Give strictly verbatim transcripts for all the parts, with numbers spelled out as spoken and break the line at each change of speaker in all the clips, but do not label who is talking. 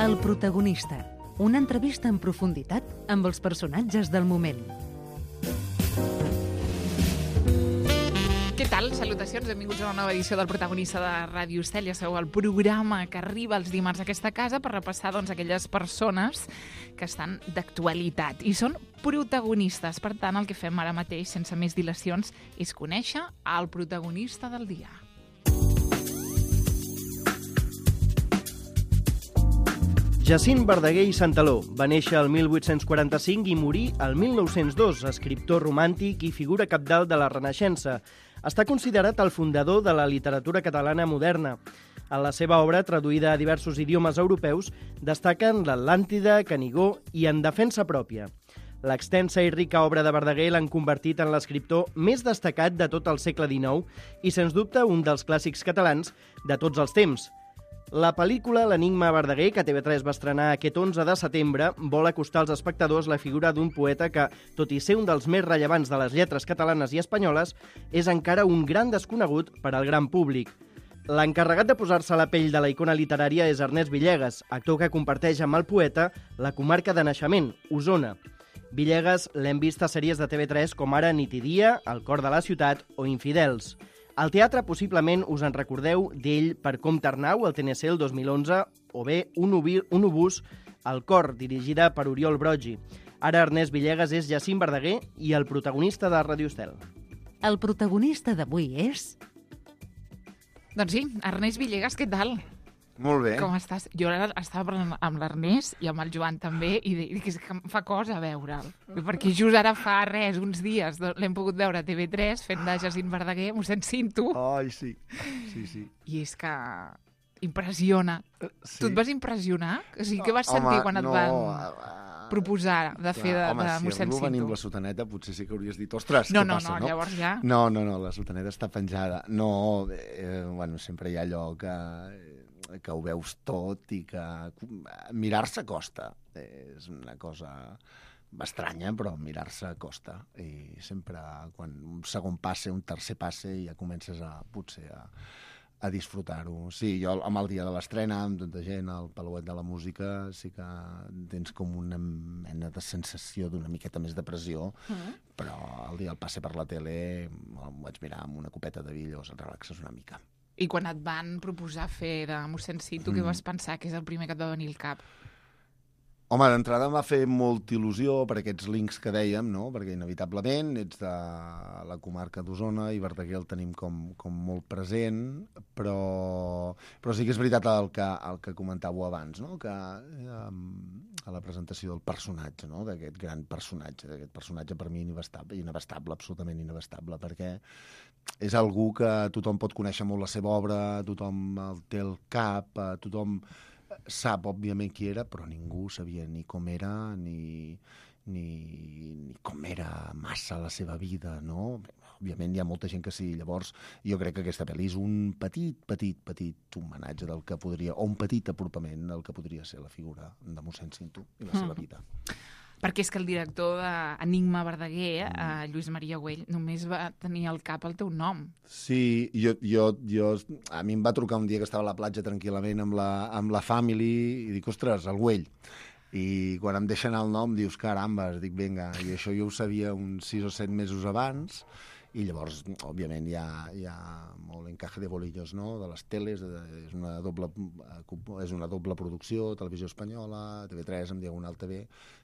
El protagonista, una entrevista en profunditat amb els personatges del moment.
Què tal? Salutacions, benvinguts a una nova edició del Protagonista de Ràdio Estel. Ja sabeu, el programa que arriba els dimarts a aquesta casa per repassar doncs, aquelles persones que estan d'actualitat i són protagonistes. Per tant, el que fem ara mateix, sense més dilacions, és conèixer el protagonista del dia.
Jacint Verdaguer i Santaló va néixer el mil vuit-cents quaranta-cinc i morir el mil nou-cents dos, escriptor romàntic i figura cabdal de la Renaixença. Està considerat el fundador de la literatura catalana moderna. En la seva obra, traduïda a diversos idiomes europeus, destaquen l'Atlàntida, Canigó i En defensa pròpia. L'extensa i rica obra de Verdaguer l'han convertit en l'escriptor més destacat de tot el segle dinou i, sens dubte, un dels clàssics catalans de tots els temps. La pel·lícula L'enigma Verdaguer, que T V tres va estrenar aquest onze de setembre, vol acostar als espectadors la figura d'un poeta que, tot i ser un dels més rellevants de les lletres catalanes i espanyoles, és encara un gran desconegut per al gran públic. L'encarregat de posar-se a la pell de la icona literària és Ernest Villegas, actor que comparteix amb el poeta la comarca de naixement, Osona. Villegas l'hem vist a sèries de T V tres com ara Nit i dia, El cor de la ciutat o Infidels. Al teatre possiblement us en recordeu d'ell per Comte Arnau, al T N C el dos mil onze, o bé Un, ubi, un obús, al cor, dirigida per Oriol Broggi. Ara Ernest Villegas és Jacint Verdaguer i el protagonista de Ràdio Estel.
El protagonista d'avui és...
Doncs sí, Ernest Villegas, què tal?
Molt bé.
Com estàs? Jo ara estava parlant amb l'Ernest i amb el Joan també i dic que em fa cosa veure'l. Perquè just ara fa res, uns dies, l'hem pogut veure a T V tres fent de Jacint Verdaguer, m'ho sent cinto.
Ai, sí. Sí, sí.
I és que impressiona.
Sí.
Tu et vas impressionar? O sigui, què vas sentir
Home,
quan et
no,
van
uh,
proposar de fer de,
home,
de
si
mossèn
arribo a venir
Cinto?
amb la sotaneta, potser sí que hauries dit, ostres,
No,
què
no,
passa,
no,
no?
llavors ja...
No, no, no, la sotaneta està penjada. No, eh, bueno, sempre hi ha allò que... que ho veus tot i que mirar-se costa. És una cosa estranya, però mirar-se costa. I sempre, quan un segon passe, un tercer passe, ja comences a, potser a, a disfrutar-ho. Sí, jo amb el dia de l'estrena, amb tanta gent, al Palauet de la Música, sí que tens com una mena de sensació d'una miqueta més de pressió, mm. però el dia del passe per la tele em vaig mirar amb una copeta de vi, llavors et relaxes una mica.
I quan et van proposar fer de mossèn Cinto, mm. què vas pensar que és el primer que et va venir al cap?
Home, d'entrada em va fer molta il·lusió per aquests links que dèiem, no? Perquè inevitablement ets de la comarca d'Osona i Verdaguer el tenim com, com molt present, però, però sí que és veritat el que, el que comentàveu abans, no? Que um, a la presentació del personatge, no? D'aquest gran personatge, d'aquest personatge per mi inabastable, inabastable, absolutament inabastable, perquè és algú que tothom pot conèixer molt la seva obra, tothom el té al cap, tothom sap, òbviament, qui era, però ningú sabia ni com era, ni, ni, ni com era massa la seva vida, no? Òbviament hi ha molta gent que sí. Llavors, jo crec que aquesta pel·li és un petit, petit, petit homenatge del que podria, o un petit apropament del que podria ser la figura de mossèn Cinto i la seva vida.
Perquè és que el director d'Enigma Verdaguer, mm. eh, Lluís Maria Güell, només va tenir al cap el teu nom.
Sí, jo, jo, jo, a mi em va trucar un dia que estava a la platja tranquil·lament amb la, amb la family i dic, ostres, el Güell. I quan em deixen el nom dius, caramba, dic, vinga, i això jo ho sabia uns sis o set mesos abans. I llavors, òbviament, hi ha, hi ha molt encaje de bolillos, no?, de les teles, de, és, una doble, és una doble producció, Televisió Espanyola, T V tres, amb Diagonal T V,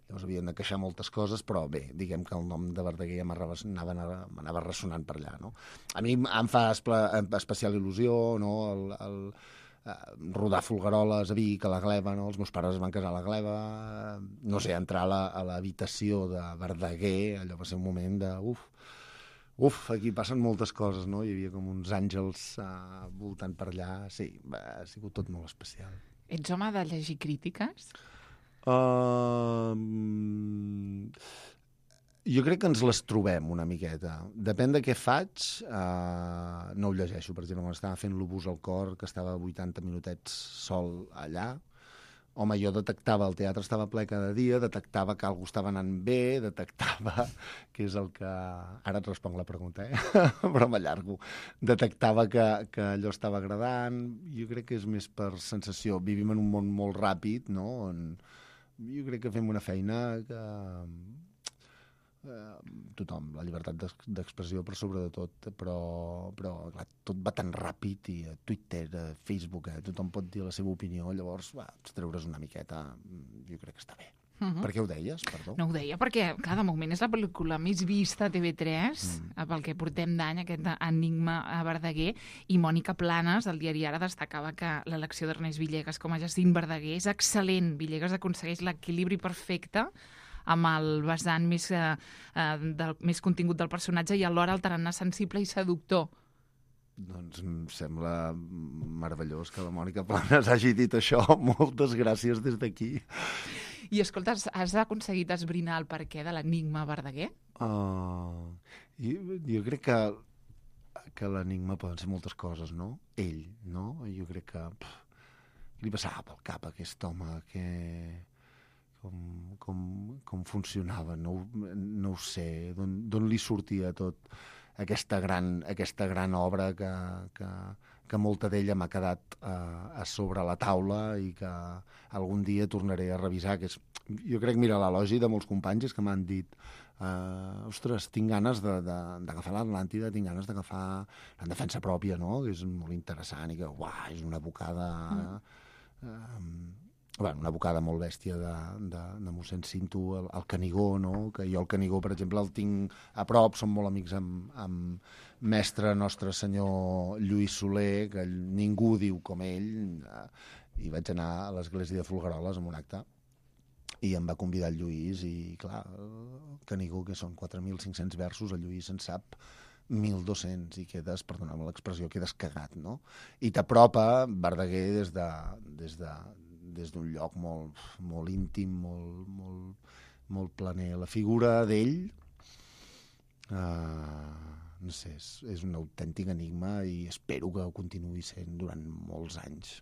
llavors havien d'encaixar moltes coses, però bé, diguem que el nom de Verdaguer ja m'anava, m'anava ressonant per allà, no? A mi em fa especial il·lusió, no?, el, el, rodar Folgueroles a Vic, a la Gleva, no? Els meus pares es van casar a la Gleva, no sé, entrar a, la, a l'habitació de Verdaguer, allò va ser un moment de, uf, Uf, aquí passen moltes coses, no? Hi havia com uns àngels uh, voltant per allà. Sí, va, ha sigut tot molt especial.
Ets home de llegir crítiques?
Uh, jo crec que ens les trobem una miqueta. Depèn de què faig, uh, no ho llegeixo. Per exemple, quan estava fent l'Obús al cor, que estava vuitanta minutets sol allà, home, jo detectava, el teatre estava ple cada dia, detectava que algú estava anant bé, detectava, que és el que... Ara et responc la pregunta, eh? Però m'allargo. Detectava que, que allò estava agradant. Jo crec que és més per sensació. Vivim en un món molt ràpid, no? On jo crec que fem una feina que... Eh, tothom, la llibertat d'expressió per sobre de tot, però, però clar, tot va tan ràpid, i a Twitter, a Facebook, eh, tothom pot dir la seva opinió, llavors va, treure's una miqueta, jo crec que està bé. Uh-huh. Per què ho deies, perdó?
No ho deia perquè, clar, de moment és la pel·lícula més vista a T V tres, mm. pel que portem d'any, aquest Enigma a Verdaguer, i Mònica Planes, del diari Ara, destacava que l'elecció d'Ernest Villegas com a Jacint Verdaguer és excel·lent. Villegas aconsegueix l'equilibri perfecte amb el vessant més, eh, del, més contingut del personatge i alhora el tarannà sensible i seductor.
Doncs em sembla meravellós que la Mònica Planes hagi dit això. Moltes gràcies des d'aquí.
I escolta, has aconseguit esbrinar el perquè de l'enigma Verdaguer?
Uh, jo, jo crec que, que l'enigma poden ser moltes coses, no? Ell, no? Jo crec que pff, li passava pel cap a aquest home que... Com, com, com funcionava, no, no ho sé, d'on li sortia tot aquesta gran, aquesta gran obra que, que, que molta d'ella m'ha quedat uh, a sobre la taula i que algun dia tornaré a revisar. Que és, jo crec, mira, l'elogi de molts companys és que m'han dit uh, ostres, tinc ganes d'agafar l'Atlàntida, tinc ganes d'agafar En defensa pròpia, no? Que és molt interessant i que, uah, és una bocada... Mm. Uh, Bueno, una bocada molt bèstia de, de, de mossèn Cinto, el, el Canigó, no? Que jo el Canigó, per exemple, el tinc a prop, som molt amics amb, amb mestre nostre senyor Lluís Soler, que ningú diu com ell, i vaig anar a l'església de Folgueroles amb un acte, i em va convidar el Lluís, i clar, el Canigó, que són quatre mil cinc-cents versos, el Lluís en sap mil dos-cents, i quedes, perdoneu-me l'expressió, quedes cagat, no? I t'apropa Verdaguer des de... Des de des d'un lloc molt, molt íntim, molt, molt, molt planer. La figura d'ell, uh, no sé, és, és un autèntic enigma i espero que ho continuï sent durant molts anys.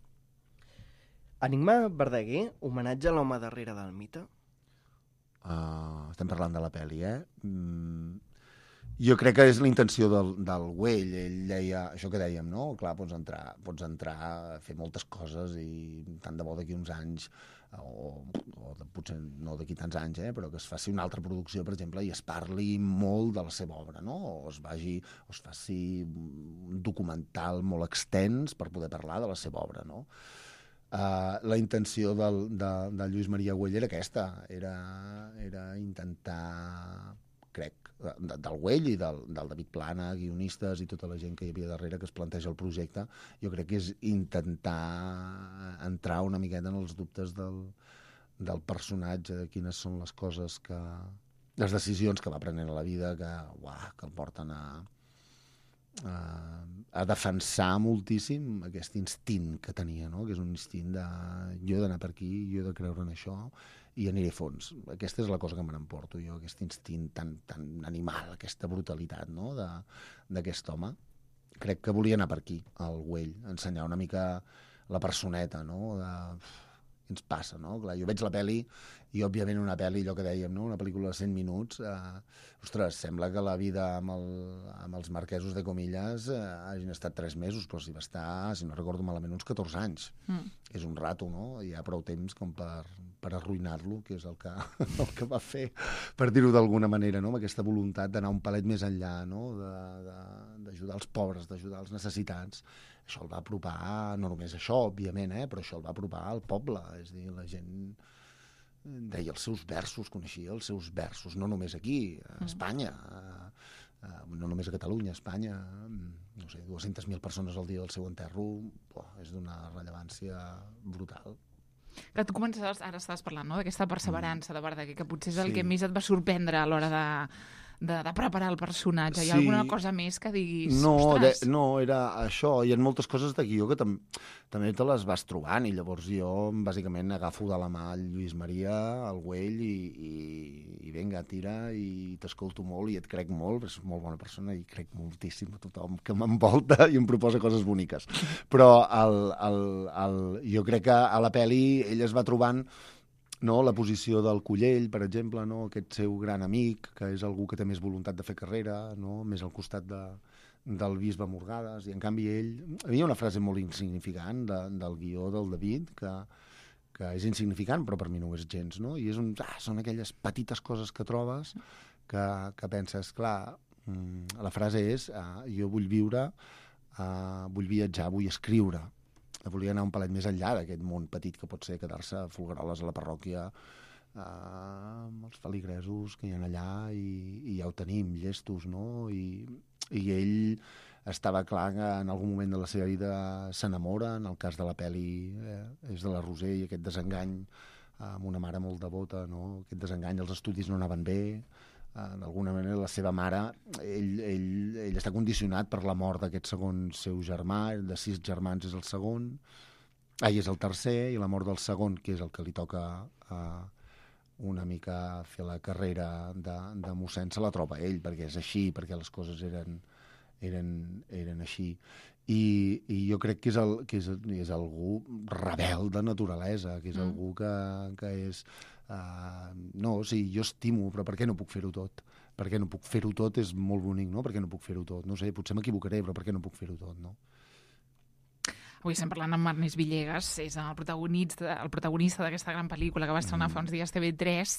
Enigma Verdaguer, homenatge a l'home darrere del mite?
Uh, estem parlant de la pel·li, eh? Mm, jo crec que és la intenció del, del Güell. Ell deia, això que dèiem, no? Clar, pots entrar, pots entrar a fer moltes coses i tant de bo d'aquí uns anys, o, o de, potser no d'aquí tants anys, eh? Però que es faci una altra producció, per exemple, i es parli molt de la seva obra, no? O es, vagi, o es faci un documental molt extens per poder parlar de la seva obra, no? Uh, la intenció del, de, de Lluís Maria Güell era aquesta, era, era intentar... crec, del Güell i del, del David Plana, guionistes i tota la gent que hi havia darrere que es planteja el projecte, jo crec que és intentar entrar una miqueta en els dubtes del, del personatge, de quines són les coses que... les decisions que va prenent a la vida que, uah, que el porten a, a, a defensar moltíssim aquest instint que tenia, no? Que és un instint de jo he d'anar per aquí, jo he de creure en això, i aniré a fons. Aquesta és la cosa que me n'emporto jo, aquest instint tan, tan animal, aquesta brutalitat, no? D'aquest home. Crec que volia anar per aquí, al Güell, ensenyar una mica la personeta, no? De... Què ens passa, no? Clar, jo veig la pel·li i, òbviament, una pel·li, allò que dèiem, no? Una pel·lícula de cent minuts, eh, ostres, sembla que la vida amb, el, amb els marquesos de Comillas eh, hagin estat tres mesos, però si va estar, si no recordo malament, uns catorze anys. Mm. És un rato, no? Hi ha prou temps com per, per arruïnar-lo, que és el que, el que va fer, per dir-ho d'alguna manera, no? Amb aquesta voluntat d'anar un palet més enllà, no? D'ajudar els pobres, d'ajudar els necessitats. Això el va apropar, no només això, òbviament, eh? Però això el va apropar al poble. És a dir, la gent deia els seus versos, coneixia els seus versos, no només aquí, a Espanya, no només a Catalunya, a Espanya, no sé, dues-centes mil persones al dia del seu enterro, oh, és d'una rellevància brutal.
Que tu començaves, ara estaves parlant, no?, d'aquesta perseverança de Verdaguer, que potser és el sí. que més et va sorprendre a l'hora de, de, de preparar el personatge? Hi ha
Sí.
alguna cosa més que diguis,
No, de,
ostres...
no, era això. Hi ha moltes coses de guió que tam també te les vas trobant i llavors jo bàsicament agafo de la mà el Lluís Maria, el Güell i, i, i vinga, tira i t'escolto molt i et crec molt, és molt bona persona i crec moltíssim a tothom que m'envolta i em proposa coses boniques. Però el, el, el, jo crec que a la pel·li ell es va trobant, no, la posició del Collell, per exemple, no, aquest seu gran amic, que és algú que té més voluntat de fer carrera, no, més al costat de, del bisbe Morgades, i en canvi ell... Hi havia una frase molt insignificant de, del guió del David, que, que és insignificant, però per mi no ho és gens, no? I és un, ah, són aquelles petites coses que trobes que, que penses, clar, la frase és, ah, jo vull viure, ah, vull viatjar, vull escriure. Volia anar un palet més enllà d'aquest món petit que pot ser quedar-se a Folgueroles a la parròquia, eh, amb els feligresos que hi ha allà i, i ja ho tenim, llestos, no? I, i ell estava clar que en algun moment de la seva vida s'enamora, en el cas de la pel·li eh, és de la Roser i aquest desengany eh, amb una mare molt devota, no? Aquest desengany, els estudis no anaven bé, eh, d'alguna manera la seva mare, ell, ell, ell està condicionat per la mort d'aquest segon seu germà, de sis germans és el segon, ell és el tercer, i la mort del segon, que és el que li toca eh, una mica fer la carrera de, de mossèn, se la troba ell, perquè és així, perquè les coses eren, eren, eren així. I, i jo crec que és, el, que és, és algú rebel de naturalesa, que és mm. algú que, que és... Uh, no, sí, jo estimo, però per què no puc fer-ho tot? Per què no puc fer-ho tot? És molt bonic, no? Per què no puc fer-ho tot? No sé, potser m'equivocaré, però per què no puc fer-ho tot, no?
Avui estem parlant amb Ernest Villegas, és el protagonista, el protagonista d'aquesta gran pel·lícula que va estrenar mm. fa uns dies T V tres,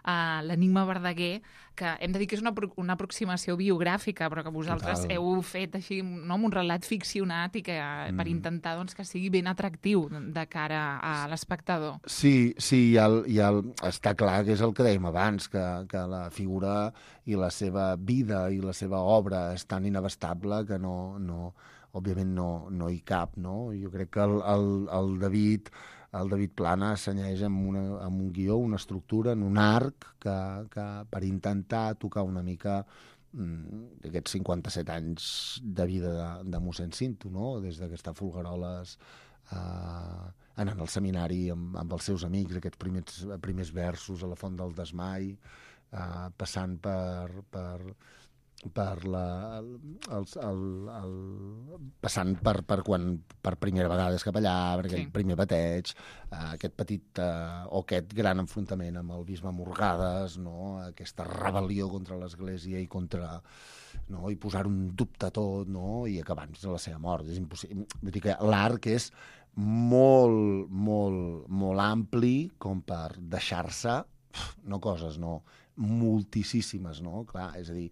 uh, l'Enigma Verdaguer, que hem de dir que és una, una aproximació biogràfica, però que vosaltres Total. heu fet així, no, amb un relat ficcionat i que mm. per intentar doncs, que sigui ben atractiu de cara a l'espectador.
Sí, sí, hi ha el, hi ha el, està clar que és el que dèiem abans, que, que la figura i la seva vida i la seva obra és tan inabastable que no... no òbviament no, no hi cap, no? Jo crec que el, el, el David el David Plana assenyeix amb, una, amb un guió, una estructura, en un arc que, que per intentar tocar una mica mm, aquests cinquanta-set anys de vida de, de mossèn Cinto, no? Des que està a Folgueroles, eh, anant al seminari amb, amb els seus amics, aquests primers, primers versos a la Font del Desmai, eh, passant per... per per la, el, el, el, passant per, per quan per primera vegada és capellà, per aquell sí. primer bateig, eh, aquest petit eh, o aquest gran enfrontament amb el bisbe Morgades, no? Aquesta rebel·lió contra l'Església i contra, no? I posar un dubte a tot, no? I acabar de la seva mort. És impossible. Vull dir que l'arc és molt, molt, molt ampli com per deixar-se, no coses, no, moltíssimes, no? Clar, és a dir,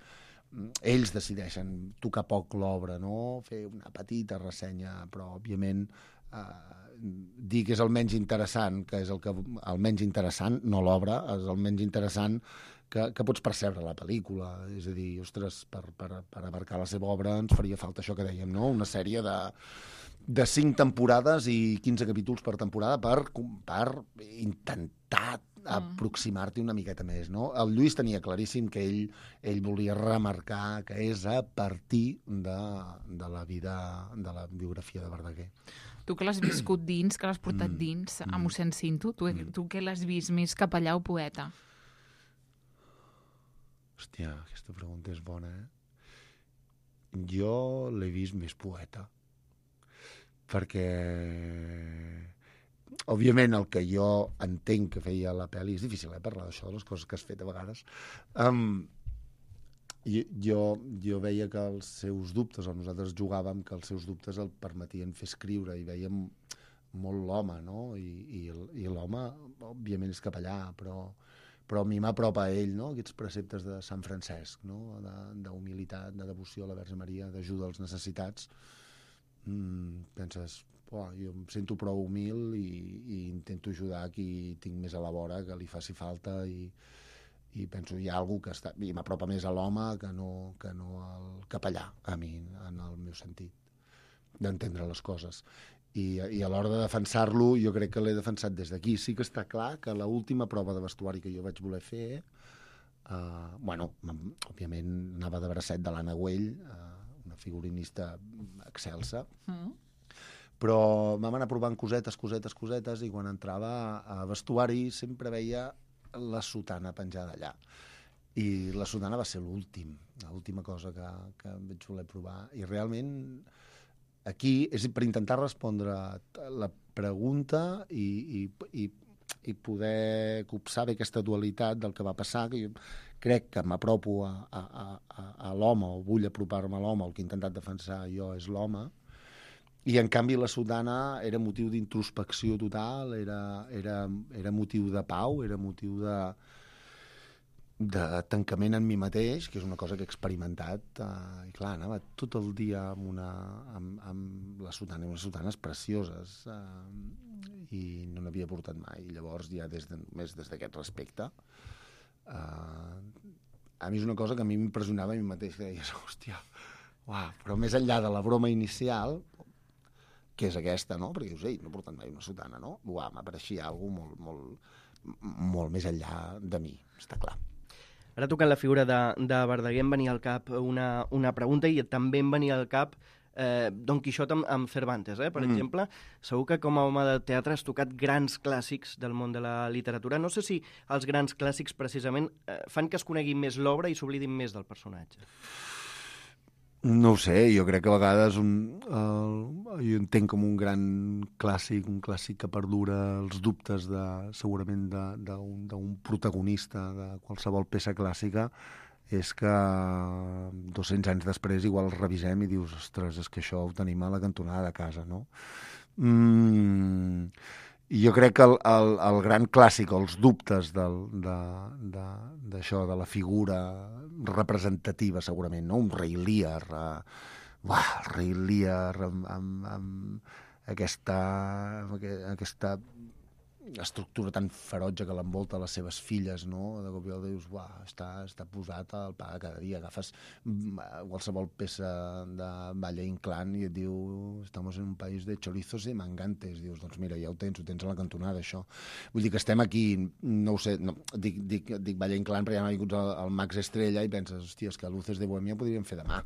ells decideixen tocar poc l'obra, no? Fer una petita ressenya, però òbviament eh, dir que és el menys interessant, que és el, que, el menys interessant, no l'obra, és el menys interessant que, que pots percebre la pel·lícula. És a dir, ostres, per, per, per abarcar la seva obra ens faria falta això que dèiem, no? Una sèrie de, de cinc temporades i quinze capítols per temporada per, per intentar aproximar-t'hi una miqueta més, no? El Lluís tenia claríssim que ell, ell volia remarcar que és a partir de, de la vida, de la biografia de Verdaguer.
Tu que l'has viscut dins, que l'has portat mm. dins a mossèn Cinto, tu, mm. tu que l'has vist més capellà o poeta?
Hòstia, aquesta pregunta és bona, eh? Jo l'he vist més poeta, perquè... Òbviament, el que jo entenc que feia la pel·li, és difícil eh, parlar d'això, de les coses que has fet a vegades, um, jo, jo veia que els seus dubtes, o nosaltres jugàvem que els seus dubtes el permetien fer escriure, i veiem molt l'home, no? I, i, i l'home, òbviament, és capellà, però, però a mi m'apropa a ell, no? Aquests preceptes de Sant Francesc, no? D'humilitat, de, de devoció a la Verge Maria, d'ajuda als necessitats. Mm, penses... Oh, jo em sento prou humil i, i intento ajudar qui tinc més a la vora, que li faci falta, i, i penso, hi ha algú que està... I m'apropa més a l'home que no, que no al capellà, a mi, en el meu sentit d'entendre les coses. I, i a l'hora de defensar-lo, jo crec que l'he defensat des d'aquí. Sí que està clar que l'última prova de vestuari que jo vaig voler fer, Uh, bueno, òbviament anava de bracet de l'Anna Güell, uh, una figurinista excelsa, mm. però vam anar provant cosetes, cosetes, cosetes, i quan entrava a vestuari sempre veia la sotana penjada allà. I la sotana va ser l'últim, l'última cosa que, que vaig voler provar. I realment aquí és per intentar respondre la pregunta i, i, i i poder copsar bé aquesta dualitat del que va passar, que jo crec que m'apropo a, a, a, a l'home, o vull apropar-me a l'home, el que he intentat defensar jo és l'home, i en canvi la sotana era motiu d'introspecció total, era, era, era motiu de pau, era motiu de, de tancament en mi mateix, que és una cosa que he experimentat, uh, i clar, anava tot el dia amb, una, amb, amb la sotana, unes sotanes precioses, uh, i no n'havia portat mai. I llavors, ja des de, més des d'aquest respecte, uh, a mi és una cosa que a mi m'impressionava a mi mateix, que deies, hòstia, uah, però més enllà de la broma inicial, que és aquesta, no? Perquè dius, ei, no he portat mai una sotana, no? Uah, m'apareixia alguna cosa molt, molt, molt més enllà de mi, està clar.
Ara, tocant la figura de, de Verdaguer, em venia al cap una, una pregunta, i també em venia al cap eh, Don Quixot amb, amb Cervantes, eh? Per mm. exemple. Segur que com a home de teatre has tocat grans clàssics del món de la literatura. No sé si els grans clàssics, precisament, eh, fan que es conegui més l'obra i s'oblidin més del personatge.
No ho sé, jo crec que a vegades un, uh, jo entenc com un gran clàssic, un clàssic que perdura els dubtes de, segurament d'un protagonista de qualsevol peça clàssica, és que dos-cents anys després igual el revisem i dius, ostres, és que això ho tenim a la cantonada de casa, no? Mm, I jo crec que el, el, el gran clàssic, els dubtes del, de, de, d'això, de la figura representativa, segurament, no? Un rei Lear, uh, uah, el rei Lear amb, amb, amb aquesta, amb aquesta estructura tan ferotge que l'envolta les seves filles, no? De cop i volta dius, uah, està, està posat al pa cada dia. Agafes qualsevol peça de Valle Inclán i et diu, estamos en un país de chorizos y mangantes. Dius, doncs mira, ja ho tens, ho tens a la cantonada, això. Vull dir que estem aquí, no ho sé, no, dic, dic, dic Valle Inclán, però ja m'ha vingut el, el Max Estrella i penses, hòstia, és que Luces de Bohemia podríem fer demà.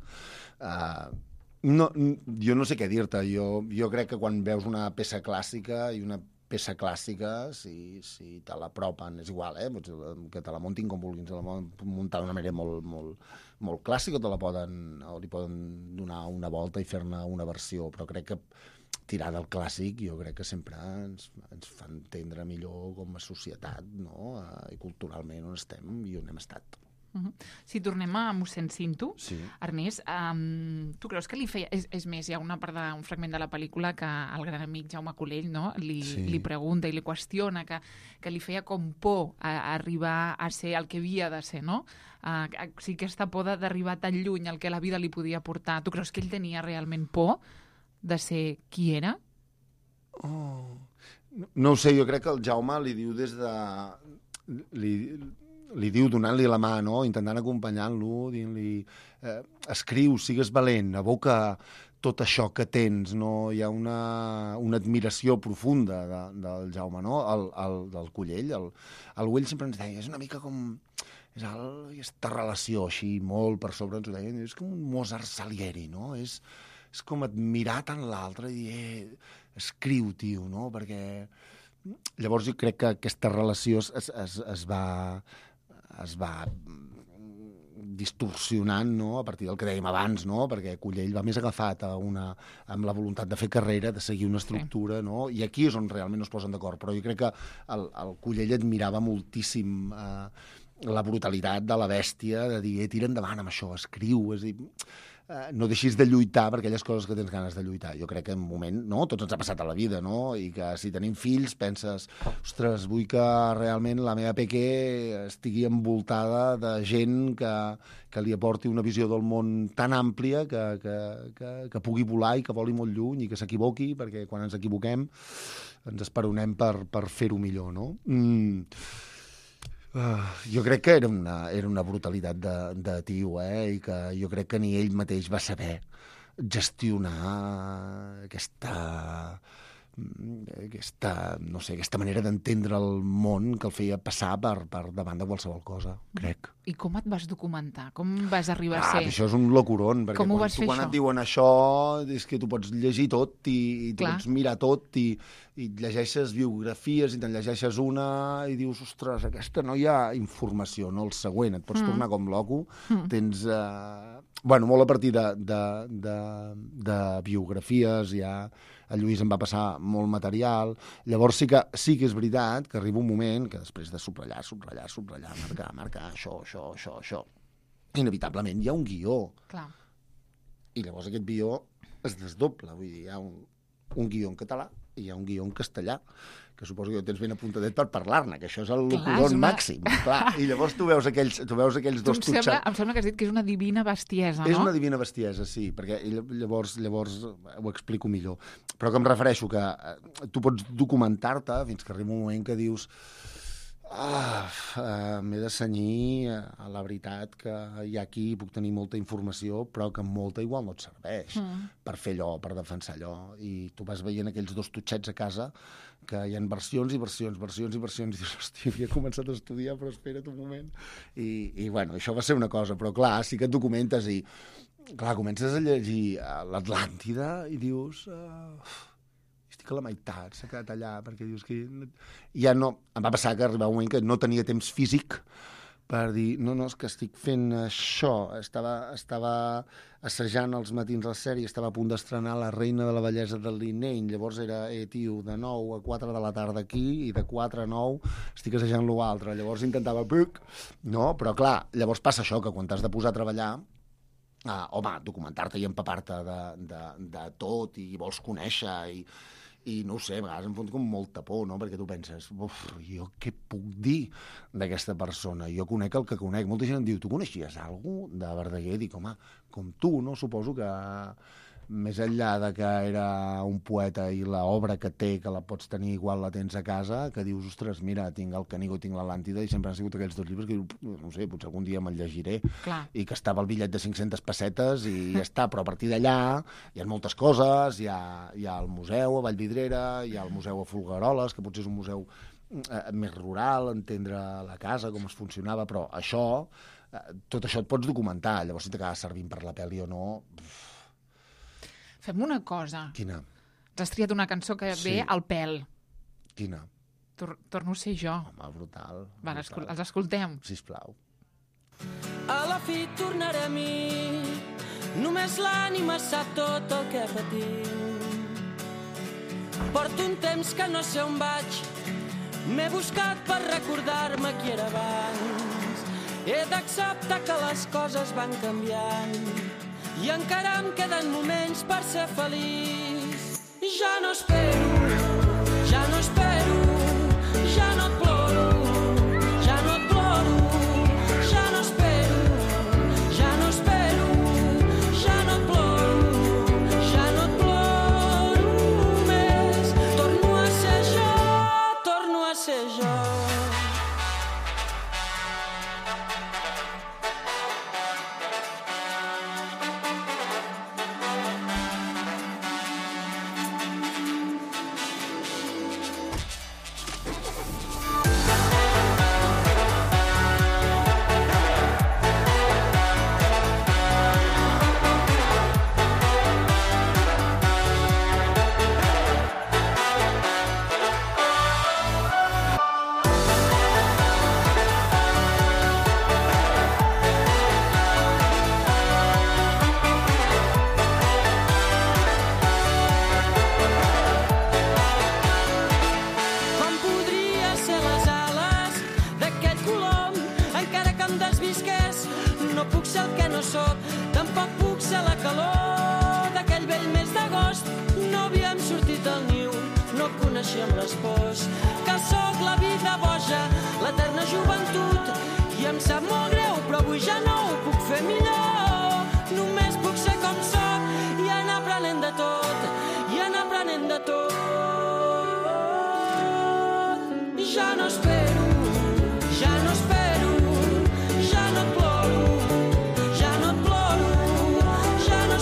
Uh, no, jo no sé què dir-te. Jo, jo crec que quan veus una peça clàssica i una peça clàssica, si, si te l'apropen, és igual, eh? Que te la muntin com vulguin, se la muntar d'una manera molt, molt, molt clàssica, o te la poden, o li poden donar una volta i fer-ne una versió, però crec que tirar del clàssic jo crec que sempre ens, ens fa entendre millor com a societat, no? I culturalment on estem i on hem estat.
Uh-huh. Si tornem a mossèn Cinto,
sí.
Ernest, um, tu creus que li feia... És, és més, hi ha una part de, un fragment de la pel·lícula que el gran amic Jaume Colell, no? li, sí. li pregunta i li qüestiona que, que li feia com por a, a arribar a ser el que havia de ser, no? Uh, o sigui, aquesta por d'arribar tan lluny al que la vida li podia portar. Tu creus que ell tenia realment por de ser qui era?
Oh. No, no ho sé, jo crec que el Jaume li diu des de... Li, li diu donant-li la mà, no? Intentant acompanyar-lo, dient-li eh, escriu, sigues valent, aboca tot això que tens, no? Hi ha una, una admiració profunda de, del Jaume, no? El, el, del Collell. El, el Güell sempre ens deia, és una mica com... És el, aquesta relació així, molt per sobre, ens ho deia, és com un Mozart Salieri, no? És, és com admirar tant l'altre i dir, eh, escriu, tio, no? Perquè llavors jo crec que aquesta relació es, es, es, es va... es va distorsionant, no? A partir del que dèiem abans, no? Perquè Collell va més agafat a una, amb la voluntat de fer carrera, de seguir una estructura, sí. No? I aquí és on realment no es posen d'acord, però jo crec que el, el Collell admirava moltíssim eh, la brutalitat de la bèstia, de dir, eh, tira endavant amb això, escriu, és dir, eh, no deixis de lluitar per aquelles coses que tens ganes de lluitar. Jo crec que en un moment, no?, tots ens ha passat a la vida, no?, i que si tenim fills penses, ostres, vull que realment la meva peque estigui envoltada de gent que, que li aporti una visió del món tan àmplia que, que, que, que pugui volar i que voli molt lluny i que s'equivoqui, perquè quan ens equivoquem ens esperonem per, per fer-ho millor, no? Mm. Uh, jo crec que era una, era una brutalitat de, de tio, eh? I que jo crec que ni ell mateix va saber gestionar aquesta aquesta, no sé, aquesta manera d'entendre el món que el feia passar per, per davant de qualsevol cosa, crec.
I com et vas documentar? Com vas arribar a
Ah,
ser?
això és un locuron, perquè
Com ho
quan,
vas
tu,
fer,
quan
això?
et diuen això és que tu pots llegir tot i, i tu
Clar.
pots mirar tot i, i llegeixes biografies i te'n llegeixes una i dius, ostres, aquesta no hi ha informació, no el següent, et pots mm. tornar com loco, mm. tens... Eh, bueno, molt a partir de, de, de, de biografies, ja a Lluís em va passar molt material, llavors sí que, sí que és veritat que arriba un moment que després de subratllar, subratllar, subratllar, marcar, marcar, això, això, això, això, inevitablement hi ha un guió.
Clar.
I llavors aquest guió es desdobla, vull dir, hi ha un, un guió en català i hi ha un guió en castellà, que suposo que ho tens ben apuntadet per parlar-ne, que això és el locuron
una...
màxim. Clar. I llavors tu veus aquells, tu veus aquells dos
Tu em sembla,
tutxats.
em sembla que has dit que és una divina bestiesa,
És
no?
una divina bestiesa, sí, perquè llavors, llavors ho explico millor. Però que em refereixo que eh, tu pots documentar-te fins que arriba un moment que dius ah, uh, m'he de cenyir a la veritat que hi ha aquí, puc tenir molta informació, però que molta igual no et serveix mm. per fer allò, per defensar allò. I tu vas veient aquells dos tutxets a casa que hi ha versions i versions, versions i versions, i dius, hòstia, havia començat a estudiar, però espera't un moment. I, i bueno, això va ser una cosa, però clar, sí que et documentes i, clar, comences a llegir l'Atlàntida i dius... Uh, estic a la meitat, s'ha quedat allà, perquè dius que... Ja no... Em va passar que arribava un moment que no tenia temps físic per dir, no, no, és que estic fent això. Estava, estava assajant els matins la sèrie, estava a punt d'estrenar La reina de la bellesa del Lineny, llavors era, eh, tio, de nou a quatre de la tarda aquí, i de quatre a nou estic assajant l'altre. Llavors intentava... No, però clar, llavors passa això, que quan t'has de posar a treballar, ah, home, documentar-te i empapar-te de, de, de tot, i vols conèixer, i... I no ho sé, a vegades em fot com molta por, no? Perquè tu penses, uf, jo què puc dir d'aquesta persona? Jo conec el que conec. Molta gent em diu, tu coneixies algú de Verdaguer? Dic, home, com tu, no? Suposo que més enllà de que era un poeta i l'obra que té, que la pots tenir igual la tens a casa, que dius, ostres, mira, tinc el Canigó, tinc l'Atlàntida, i sempre han sigut aquells dos llibres que dius, no sé, potser algun dia me'l llegiré. Clar. I que estava el bitllet de cinc-centes pessetes i ja està, però a partir d'allà hi ha moltes coses, hi ha, hi ha el museu a Vallvidrera, hi ha el museu a Folgueroles, que potser és un museu eh, més rural, entendre la casa, com es funcionava, però això, eh, tot això et pots documentar, llavors si t'acaba servint per la pel·li o no... Uf.
Fem una cosa.
Quina?
T'has triat una cançó que
Sí.
ve al pèl.
Quina?
Tor Torno a ser jo.
Home, brutal.
Va,
brutal.
els escoltem.
Sisplau.
A la fi tornaré a mi, només l'ànima sap tot el que patim. Porto un temps que no sé on vaig, m'he buscat per recordar-me qui era abans. He d'acceptar que les coses van canviant i encara em queden moments per ser feliç. Ja no espero, ja no espero, ja no et ploro, ja no et ploro, ja no espero, ja no espero, ja no et ploro, ja no et ploro més. Torno a ser jo, torno a ser jo.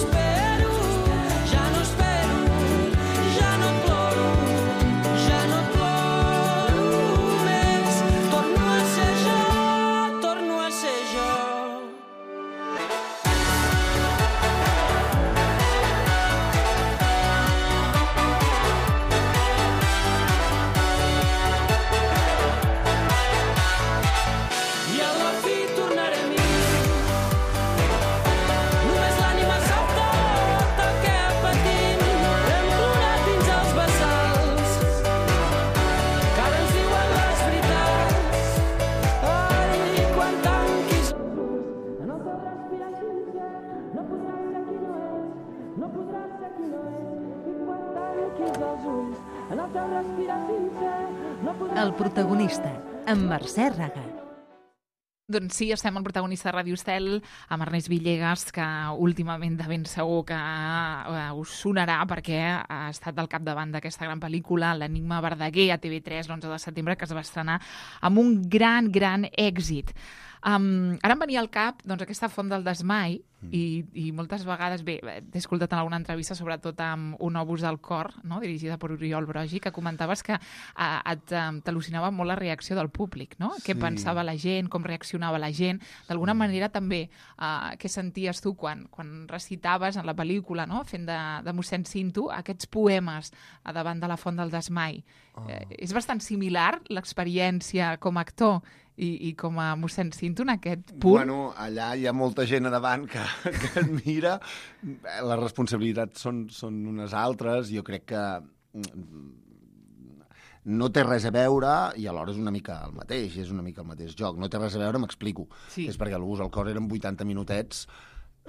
Ploro, ja no espero, ja no et ploro.
tanquis els ulls, en el teu respirar sincer, no podràs...
El protagonista, amb Mercè Raga.
Doncs sí, estem al protagonista de Ràdio Estel, amb Ernest Villegas, que últimament de ben segur que uh, us sonarà perquè ha estat al capdavant d'aquesta gran pel·lícula, L'Enigma Verdaguer, a T V tres, l'onze de setembre, que es va estrenar amb un gran, gran èxit. Um, ara em venia al cap doncs, aquesta font del desmai mm. i, i moltes vegades, bé, t'he escoltat en alguna entrevista, sobretot amb Un obus del cor, no? dirigida per Oriol Brogi, que comentaves que uh, et um, t'al·lucinava molt la reacció del públic, no? Sí. Què pensava la gent, com reaccionava la gent. D'alguna mm. manera també, uh, què senties tu quan, quan recitaves en la pel·lícula, no? fent de, de mossèn Cinto, aquests poemes a davant de la font del desmai. Oh. Eh, és bastant similar l'experiència com a actor i, i com a mossèn Cinto en aquest punt?
Bueno, allà hi ha molta gent a davant que, que et mira. Les responsabilitats són, són unes altres. Jo crec que no té res a veure i alhora és una mica el mateix, és una mica el mateix joc. No té res a veure, m'explico. Sí. És perquè l'Obús al cor eren vuitanta minutets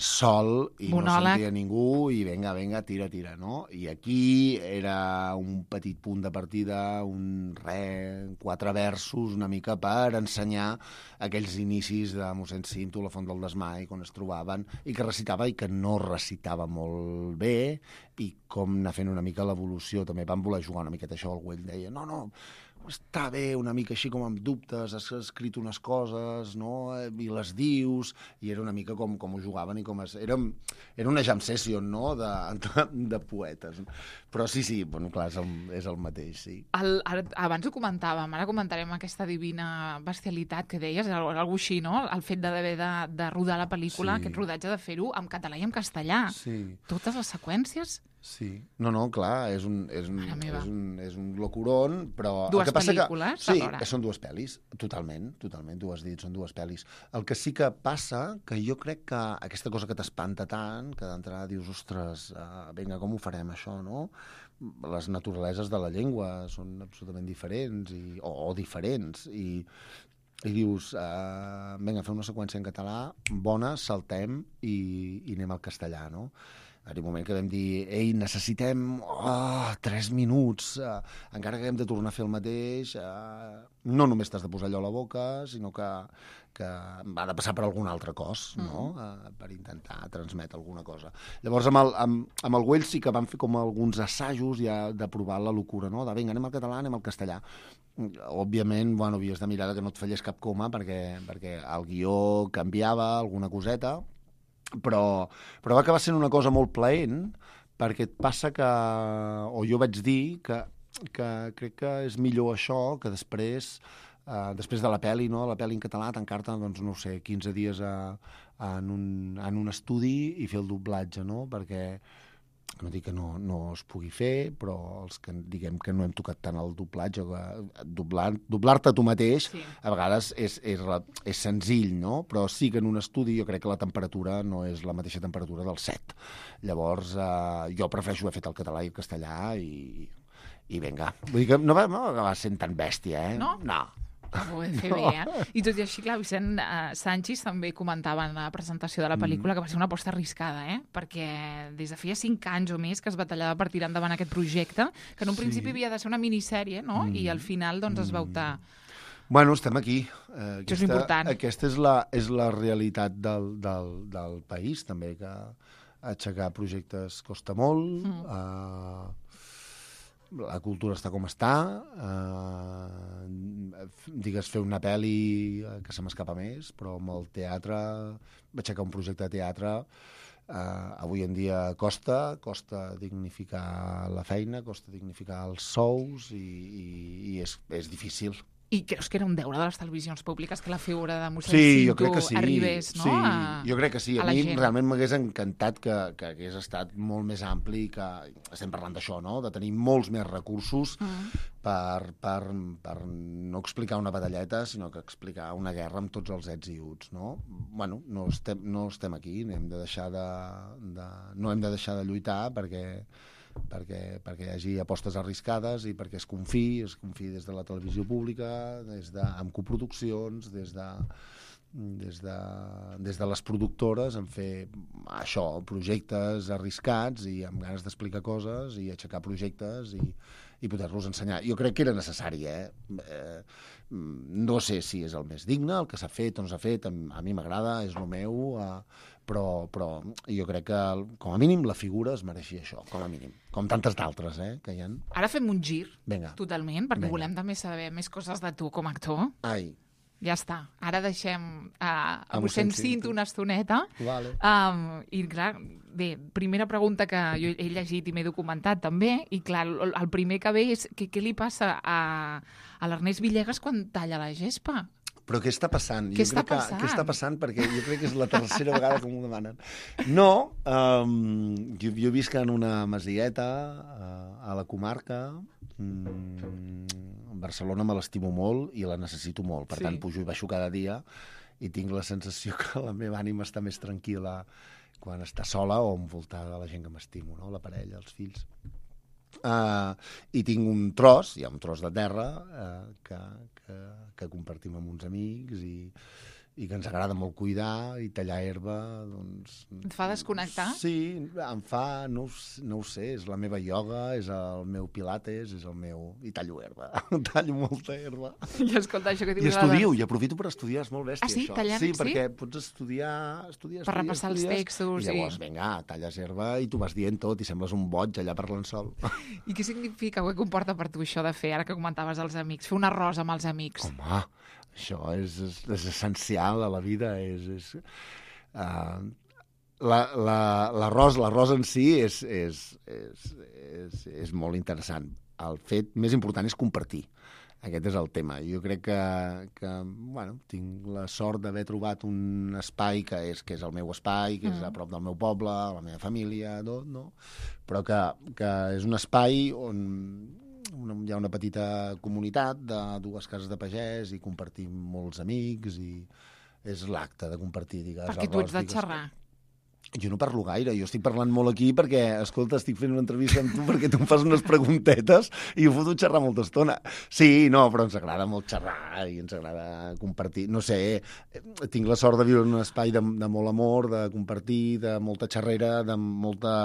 sol i monòleg. No sentia ningú i vinga, vinga, tira, tira, no? I aquí era un petit punt de partida, un re, quatre versos, una mica per ensenyar aquells inicis de mossèn Cinto, la font del desmai, on es trobaven, i que recitava i que no recitava molt bé, i com anar fent una mica l'evolució. També van voler jugar una miqueta això, el Güell deia, no, no, està bé, una mica així com amb dubtes, has escrit unes coses, no?, i les dius, i era una mica com, com ho jugaven i com es... Era, era una jam session, no?, de, de, de poetes. Però sí, sí, bueno, clar, és el, és el mateix, sí.
El, abans ho comentàvem, ara comentarem aquesta divina bestialitat que deies, alguna així, no?, el fet d'haver de, de rodar la pel·lícula, sí. Aquest rodatge de fer-ho en català i en castellà. Sí. Totes les seqüències...
Sí. No, no, clar, és un, és un, és un, és un locuron, però...
Dues
el que passa
pel·lícules,
que,
alhora.
Sí, són dues pel·lis, totalment, totalment, tu has dit, són dues pel·lis. El que sí que passa, que jo crec que aquesta cosa que t'espanta tant, que d'entrada dius, ostres, uh, vinga, com ho farem, això, no? Les naturaleses de la llengua són absolutament diferents, i, o, o diferents, i... i dius, uh, vinga, fem una seqüència en català, bona, saltem i, i anem al castellà, no? Hi ha un moment que vam dir, ei, necessitem oh, tres minuts, uh, encara que hem de tornar a fer el mateix, uh, no només t'has de posar allò a la boca, sinó que, que ha de passar per algun altre cos, mm. no? Uh, per intentar transmetre alguna cosa. Llavors, amb el, amb, amb el Güell sí que vam fer com alguns assajos ja de provar la locura, no? De vinga, anem al català, anem al castellà. Òbviament, bueno, havies de mirar que no et fallés cap coma, perquè, perquè el guió canviava alguna coseta, però, però va acabar sent una cosa molt plaent, perquè et passa que, o jo vaig dir, que, que crec que és millor això que després, eh, després de la pel·li, no? La pel·li en català, tancar-te, doncs, no sé, quinze dies a, a, en, un, en un estudi i fer el doblatge, no? Perquè no dic que no, no es pugui fer, però els que diguem que no hem tocat tant el doblatge, doblar, doblar-te tu mateix, sí. A vegades és, és, és senzill, no? Però sí que en un estudi jo crec que la temperatura no és la mateixa temperatura del set. Llavors, eh, jo prefereixo haver fet el català i el castellà i, i vinga. Vull dir que no va, no va sent tan bèstia, eh?
No?
No.
Ho vam fer no. bé, eh? I tot i així, clar, Vicent uh, Sanchis també comentava en la presentació de la pel·lícula mm. que va ser una aposta arriscada, eh? Perquè des de feia cinc anys o més que es batallava per tirar endavant aquest projecte, que en un sí. principi havia de ser una minissèrie, no? Mm. I al final, doncs, es va optar...
Bueno, estem aquí. Eh, aquesta,
Això és important.
Aquesta és la, és la realitat del, del, del país, també, que aixecar projectes costa molt, mm. eh, la cultura està com està, eh, digues fer una pel·li que se m'escapa més, però amb el teatre, aixecar un projecte de teatre, eh, avui en dia costa, costa dignificar la feina, costa dignificar els sous i, i, i és, és difícil.
I creus que era un deure de les televisions públiques que la figura de mossèn
sí,
Cinto
sí.
arribés, no?
Sí,
a,
jo crec que sí. A,
a
mi
gent.
Realment m'hagués encantat que, que hagués estat molt més ampli, que estem parlant d'això, no? De tenir molts més recursos mm. per, per, per no explicar una batalleta, sinó que explicar una guerra amb tots els ets i uts, no? Bueno, no estem, no estem aquí, hem de deixar de, de, no hem de deixar de lluitar perquè... Perquè, perquè hi hagi apostes arriscades i perquè es confiï, es confiï des de la televisió pública, des de, amb coproduccions, des de, des de, des de les productores, en fer això, projectes arriscats i amb ganes d'explicar coses i aixecar projectes i, i poder-los ensenyar. Jo crec que era necessari, eh? eh? No sé si és el més digne, el que s'ha fet o no s'ha fet, a mi m'agrada, és el meu, eh, però, però jo crec que, com a mínim, la figura es mereixia això, com a mínim. Com tantes d'altres, eh, que hi ha.
Ara fem un gir,
Venga.
totalment, perquè
Venga.
volem també saber més coses de tu com a actor.
Ai,
Ja està. Ara deixem uh, a
A
mossèn
mossèn
Cinto una estoneta.
vale.
Um, I, clar, bé, primera pregunta que jo he llegit i m'he documentat també, i, clar, el, el primer que ve és que, què li passa a, a l'Ernest Villegas quan talla la gespa?
Però què està passant?
Què
jo
està
crec que,
passant?
Què està passant? Perquè jo crec que és la tercera vegada que m'ho demanen. No, um, jo, jo visc en una masieta uh, a la comarca. Mm, Barcelona me l'estimo molt i la necessito molt. Per
Sí.
tant, pujo i baixo cada dia i tinc la sensació que la meva ànima està més tranquil·la quan està sola o envoltada de la gent que m'estimo, no? La parella, els fills. Uh, I tinc un tros, hi ha un tros de terra uh, que, que, que compartim amb uns amics i, i que ens agrada molt cuidar i tallar herba, doncs...
Et fa desconnectar?
Sí, em fa, no, ho s- no ho sé, és la meva ioga, és el meu pilates, és el meu... I tallo herba, tallo molta herba.
I escolta, això que
I
dius...
estudio, i aprofito per estudiar, és molt bèstia,
Ah, sí?
això.
Tallant,
sí,
sí?
perquè pots estudiar, estudiar,
Per
estudiar,
repassar els
estudies,
textos,
i llavors,
sí.
vinga, talles herba i tu vas dient tot i sembles un boig allà parlant sol.
I què significa, què comporta per tu això de fer, ara que comentaves els amics, fer un arròs amb els amics?
Home, això és, és, és essencial a la vida, és... és uh, la- la- l'arròs l'arròs en si és, és, és, és, és molt interessant. El fet més important és compartir. Aquest és el tema. Jo crec que, que bueno, tinc la sort d'haver trobat un espai que és, que és el meu espai, que és a prop del meu poble, la meva família, tot, no? Però que, que és un espai on una, hi ha una petita comunitat de dues cases de pagès i compartim molts amics i és l'acte de compartir, digues.
Perquè tu ets de
digues,
xerrar.
Jo no parlo gaire, jo estic parlant molt aquí perquè, escolta, estic fent una entrevista amb tu perquè tu em fas unes preguntetes i ho foto xerrar molta estona. Sí, no, però ens agrada molt xerrar i ens agrada compartir. No sé, tinc la sort de viure en un espai de, de molt amor, de compartir, de molta xerrera, de molta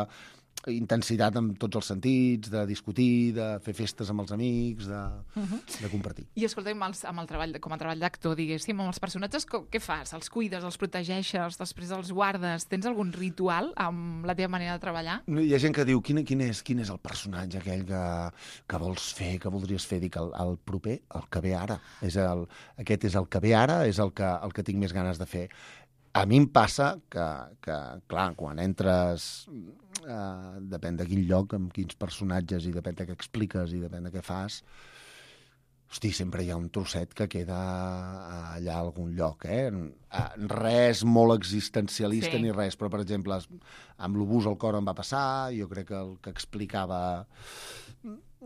intensitat en tots els sentits, de discutir, de fer festes amb els amics, de,
Mhm.
de compartir.
I escolta, amb, els, amb el treball, de- com a treball d'actor, diguéssim, amb els personatges, co- què fas? Els cuides, els protegeixes, després els guardes? Tens algun ritual amb la teva manera de treballar?
No, hi ha gent que diu, quin, quin, és, quin és el personatge aquell que, que vols fer, que voldries fer? Dic, el, el proper, el que ve ara. És el, aquest és el que ve ara, és el que, el que tinc més ganes de fer. A mi em passa que, que clar, quan entres, eh, depèn de quin lloc, amb quins personatges, i depèn de què expliques, i depèn de què fas, hosti, sempre hi ha un trosset que queda allà a algun lloc, eh? Res molt existencialista
Sí.
ni res, però, per exemple, amb l'Obús al cor em va passar, jo crec que el que explicava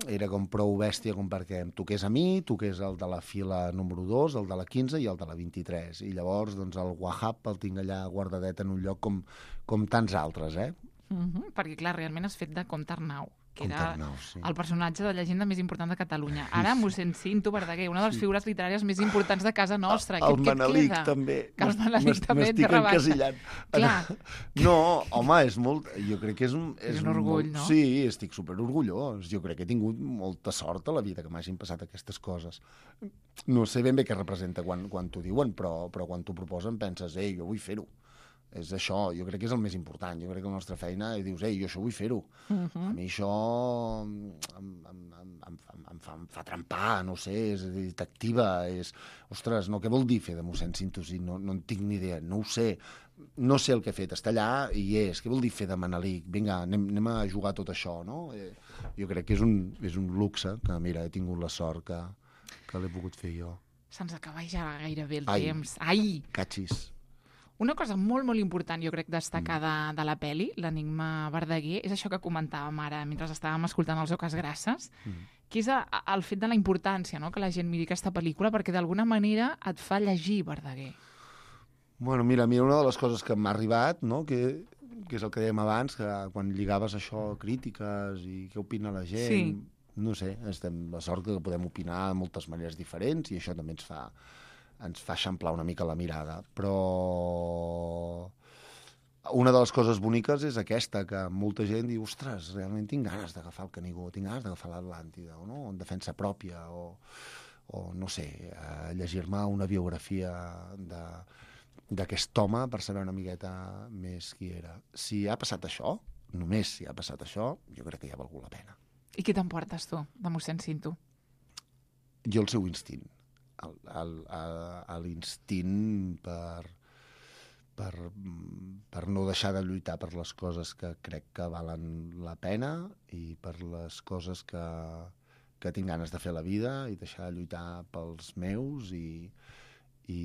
era com prou bèstia com perquè em toqués a mi, toqués el de la fila número dos, el de la quinze i el de la vint-i-tres. I llavors, doncs, el Wahab el tinc allà guardadet en un lloc com, com tants altres, eh?
Mhm, perquè, clar, realment has fet de Comte Arnau, que
Comte
era
Arnau, sí.
el personatge de llegenda més important de Catalunya. Ara, mossèn Cinto Verdaguer, una de les figures literàries més importants de casa nostra.
El
Què, què et
Manelic,
queda?
també.
Que el
M'est-
Manelic
m'est-
també et
M'estic
rebaixa.
encasillant.
Clar.
No, home, és molt... Jo crec que és un...
És un orgull,
molt,
no?
Sí, estic superorgullós. Jo crec que he tingut molta sort a la vida que m'hagin passat aquestes coses. No sé ben bé què representa quan, quan t'ho diuen, però, però quan t'ho proposen penses, ei, jo vull fer-ho. És això, jo crec que és el més important. Jo crec que la nostra feina i dius, ei, jo això vull fer-ho.
Mhm.
A mi això em, em, em, em, em, fa, em, fa, em fa trempar, no sé, és a dir, t'activa, és... Ostres, no, què vol dir fer de mossèn Cinto? Si no, no en tinc ni idea, no ho sé. No sé el que he fet, està allà i hi és. Què vol dir fer de Manelic? Vinga, anem, anem a jugar tot això, no? Eh, jo crec que és un, és un luxe que, mira, he tingut la sort que, que l'he pogut fer jo.
Se'ns acaba ja gairebé el
Ai.
temps. Ai!
Catxis.
Una cosa molt, molt important, jo crec, destacar de, de la peli, l'Enigma Verdaguer, és això que comentàvem ara mentre estàvem escoltant els Oques Grasses,
Mm.
que és a, a, el fet de la importància, no?, que la gent miri aquesta pel·lícula, perquè d'alguna manera et fa llegir Verdaguer.
Bueno, mira, mira, una de les coses que m'ha arribat, no?, que, que és el que dèiem abans, que quan lligaves això a crítiques i què opina la gent,
Sí.
no sé, estem la sort que podem opinar de moltes maneres diferents i això també ens fa, ens fa eixamplar una mica la mirada. Però una de les coses boniques és aquesta, que molta gent diu, ostres, realment tinc ganes d'agafar el Canigó, tinc ganes d'agafar l'Atlàntida, o no? En defensa pròpia, o, o no sé, eh, llegir-me una biografia de, d'aquest home per saber una miqueta més qui era. Si ha passat això, només si ha passat això, jo crec que ja ha valgut la pena.
I què t'emportes tu, de mossèn Cinto?
Jo el seu instint. El, el, el, l'instint per... Per, per no deixar de lluitar per les coses que crec que valen la pena i per les coses que, que tinc ganes de fer a la vida i deixar de lluitar pels meus i, i,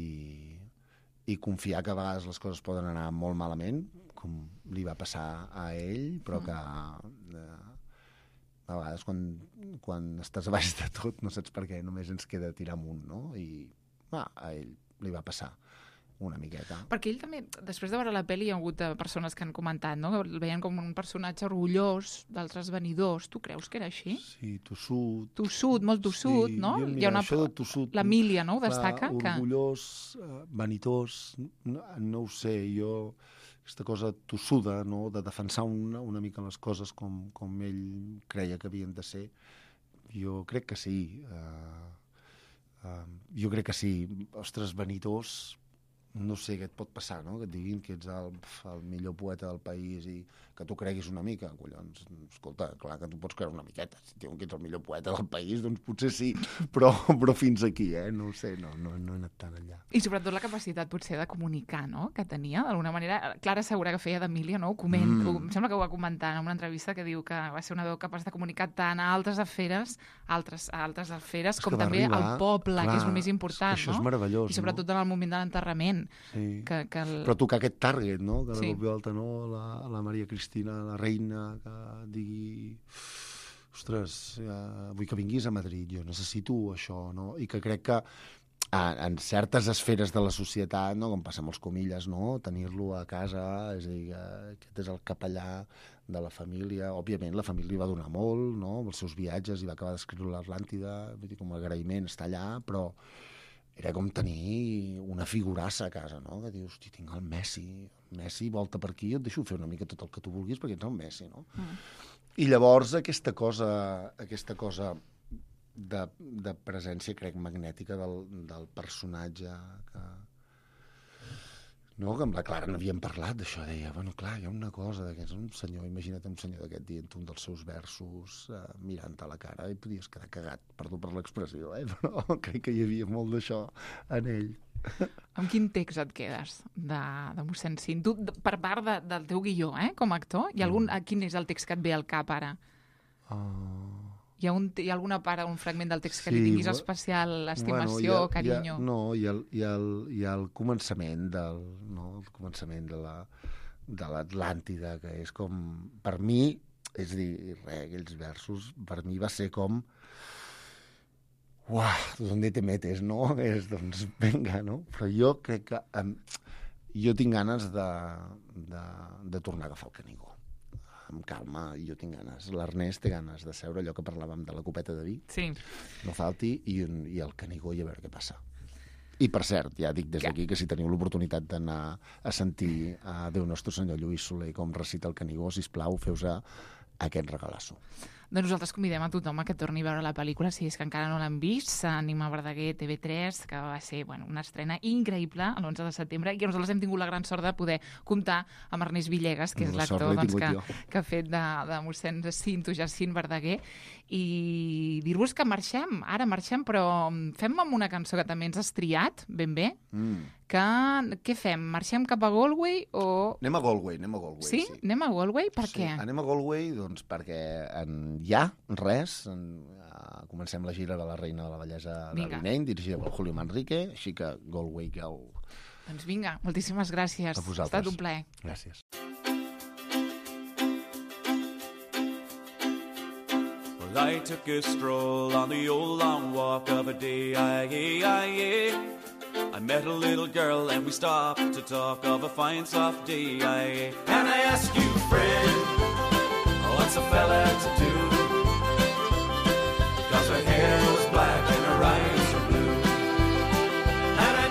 i confiar que a vegades les coses poden anar molt malament, com li va passar a ell, però que eh, a vegades quan, quan estàs a baix de tot no saps per què, només ens queda tirar amunt, no? I ah, a ell li va passar una miqueta.
Perquè ell també, després de veure la pel·li, hi ha hagut persones que han comentat, no?, que el veien com un personatge orgullós d'altres venidors. Tu creus que era així?
Sí, tossut.
Tossut, molt tossut,
sí,
no?
Jo, mira,
hi ha una...
això de tossut...
L'Emília, no?, ho destaca.
Clar, orgullós, que... vanitós, no, no ho sé, jo... Aquesta cosa tossuda, no?, de defensar una, una mica les coses com, com ell creia que havien de ser, jo crec que sí. Uh, uh, jo crec que sí. Ostres, vanitós... No sé què et pot passar, no? Que et diguin que ets el, el millor poeta del país i que tu creguis una mica. Collons, escolta, clar que tu pots creure una miqueta. Si diuen que ets el millor poeta del país, doncs potser sí, però, però fins aquí, eh? No ho sé, no, no, no he anat tan enllà.
I sobretot la capacitat potser de comunicar, no?, que tenia, d'alguna manera. Clara Segura, que feia d'Emília, no?, ho coment, mm. ho, em sembla que ho va comentar en una entrevista, que diu que va ser una veu capaç de comunicar tant a altres esferes, altres, a altres esferes, com també arribar, al poble, clar, que és el més important,
això
no?
És meravellós,
i sobretot
no?
en el moment de l'enterrament.
Sí.
Que, que el...
Però tocar aquest target, no?, que de
sí.
cop i volta, no?, la, la Maria Cristina, la reina, que digui... Ostres, ja, vull que vinguis a Madrid, jo necessito això, no? I que crec que en certes esferes de la societat, no?, com passa amb els Comilles, no?, tenir-lo a casa, és a dir, aquest és el capellà de la família. Òbviament, la família li va donar molt, no?, els seus viatges, i va acabar d'escriure l'Atlàntida, vull dir, com a agraïment està allà, però era com tenir una figurassa a casa, no?, que dius, hosti, tinc el Messi, Messi volta per aquí, et deixo fer una mica tot el que tu vulguis perquè ets el Messi, no? Mm. I llavors aquesta cosa, aquesta cosa de, de presència, crec, magnètica del, del personatge que... No, que amb la Clara n'havíem parlat d'això, deia, bueno, clar, hi ha una cosa d'aquest, un senyor, imagina't un senyor d'aquest dient un dels seus versos eh, mirant a la cara i podies quedar cagat, perdó per l'expressió, eh? Però crec que hi havia molt d'això en ell.
Amb quin text et quedes de, de mossèn Cinto? Per part de, del teu guió, eh, com a actor, hi ha algun, mm. quin és el text que et ve al cap ara?
Uh...
Hi ha, un, hi ha alguna part, un fragment del text que
sí,
li tinguis especial estimació,
bueno, ha,
carinyo?
Ha, no, hi ha, hi, ha el, hi ha el començament del, no, el començament de la de l'Atlàntida, que és com, per mi, és a dir, res, aquells versos, per mi va ser com uah, ¿dónde te metes, no? És, doncs, vinga, no? Però jo crec que um, jo tinc ganes de, de, de tornar a agafar el Canigó. Amb calma, jo tinc ganes. L'Ernest té ganes de seure, allò que parlàvem de la copeta de vi,
sí.
no falti, i, un, i el Canigó, i a veure què passa. I, per cert, ja dic des d'aquí que si teniu l'oportunitat d'anar a sentir a Déu Nostre Senyor Lluís Soler com recita el Canigó, sisplau, feu-se aquest regalasso.
Doncs nosaltres convidem a tothom a que torni a veure la pel·lícula, si és que encara no l'han vist, Ànima Verdaguer, T V tres, que va ser bueno, una estrena increïble l'onze de setembre, i que nosaltres hem tingut la gran sort de poder comptar amb Ernest Villegas, que és l'actor doncs, que, que ha fet de, de mossèn Cinto Jacint Verdaguer, i dir-vos que marxem, ara marxem, però fem amb una cançó que també ens has triat, ben bé, mm. que què fem? Marxem cap a Galway o...
Anem a Galway, anem a Galway.
Sí? sí? Anem a Galway? Per
sí,
què?
Anem a Galway, doncs, perquè en ja, res, en, uh, comencem la gira de la Reina de la Bellesa de l'Ineny, dirigida per Julio Manrique, així que Galway Girl.
Doncs vinga, moltíssimes gràcies.
A vosaltres.
Ha estat un plaer.
Gràcies.
Well, I took a stroll on the old long walk of a day, aye, aye, aye. I met a little girl and we stopped to talk of a fine soft day, aye. And I asked you, friend, what's a fella to do? Cause her hair was black and her eyes were blue. And I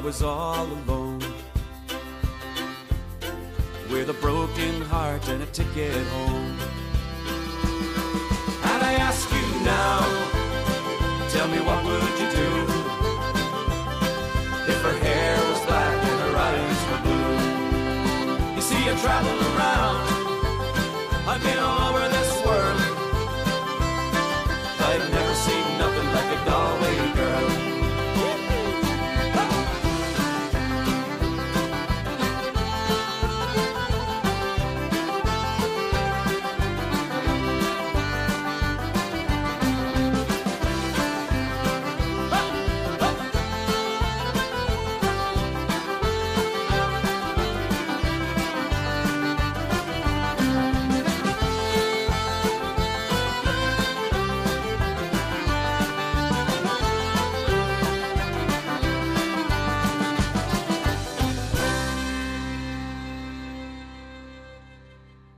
was all alone, with a broken heart and a ticket home. And I ask you now, tell me what would you do if her hair was black and her eyes were blue? You see, I travel around, I've been